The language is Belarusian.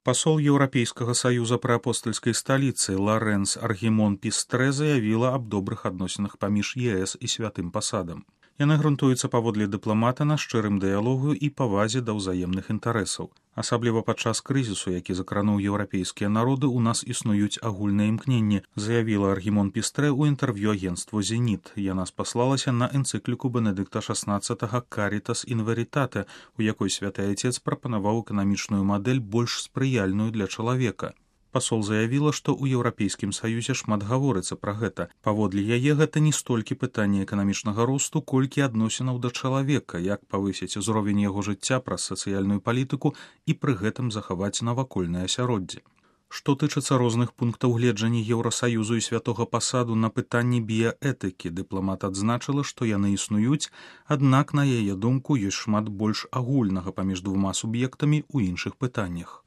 Пасол Еўрапейскага саюза пры апостальскай сталіцы Ларэнс Аргімон Пістрэ заявіла аб добрых адносінах паміж ЕС і святым пасадам. Яны грунтуюцца паводле дыпламата на шчырым дыялогу і павазе да ўзаемных інтарэсаў. Асабліва падчас крызісу, які закрануў еўрапейскія народы, у нас існуюць агульныя імкненні, заявіла Аргімон Пістрэ ў інтэрв'ю агенцтву «Зеніт». Яна спаслалася на энцыкліку Бенедыкта XVI «Карітас ін верітате», у якой святы Айцец прапанаваў эканамічную мадэль больш спрыяльную для чалавека. Пасол заявіла, што ў Еўрапейскім саюзе шмат гаворыцца пра гэта. Паводле яе гэта не столькі пытанне эканамічнага росту, колькі адносінаў да чалавека, як павысіць узровень яго жыцця праз сацыяльную палітыку і пры гэтым захаваць навакольнае асяроддзе. Што тычыцца розных пунктаў гледжання Еўрасаюзу і святога пасаду на пытанні біяэтыкі, дыпламат адзначыла, што яны існуюць, аднак, на яе думку, ёсць шмат больш агульнага паміж двума суб'ектамі ў іншых пытаннях.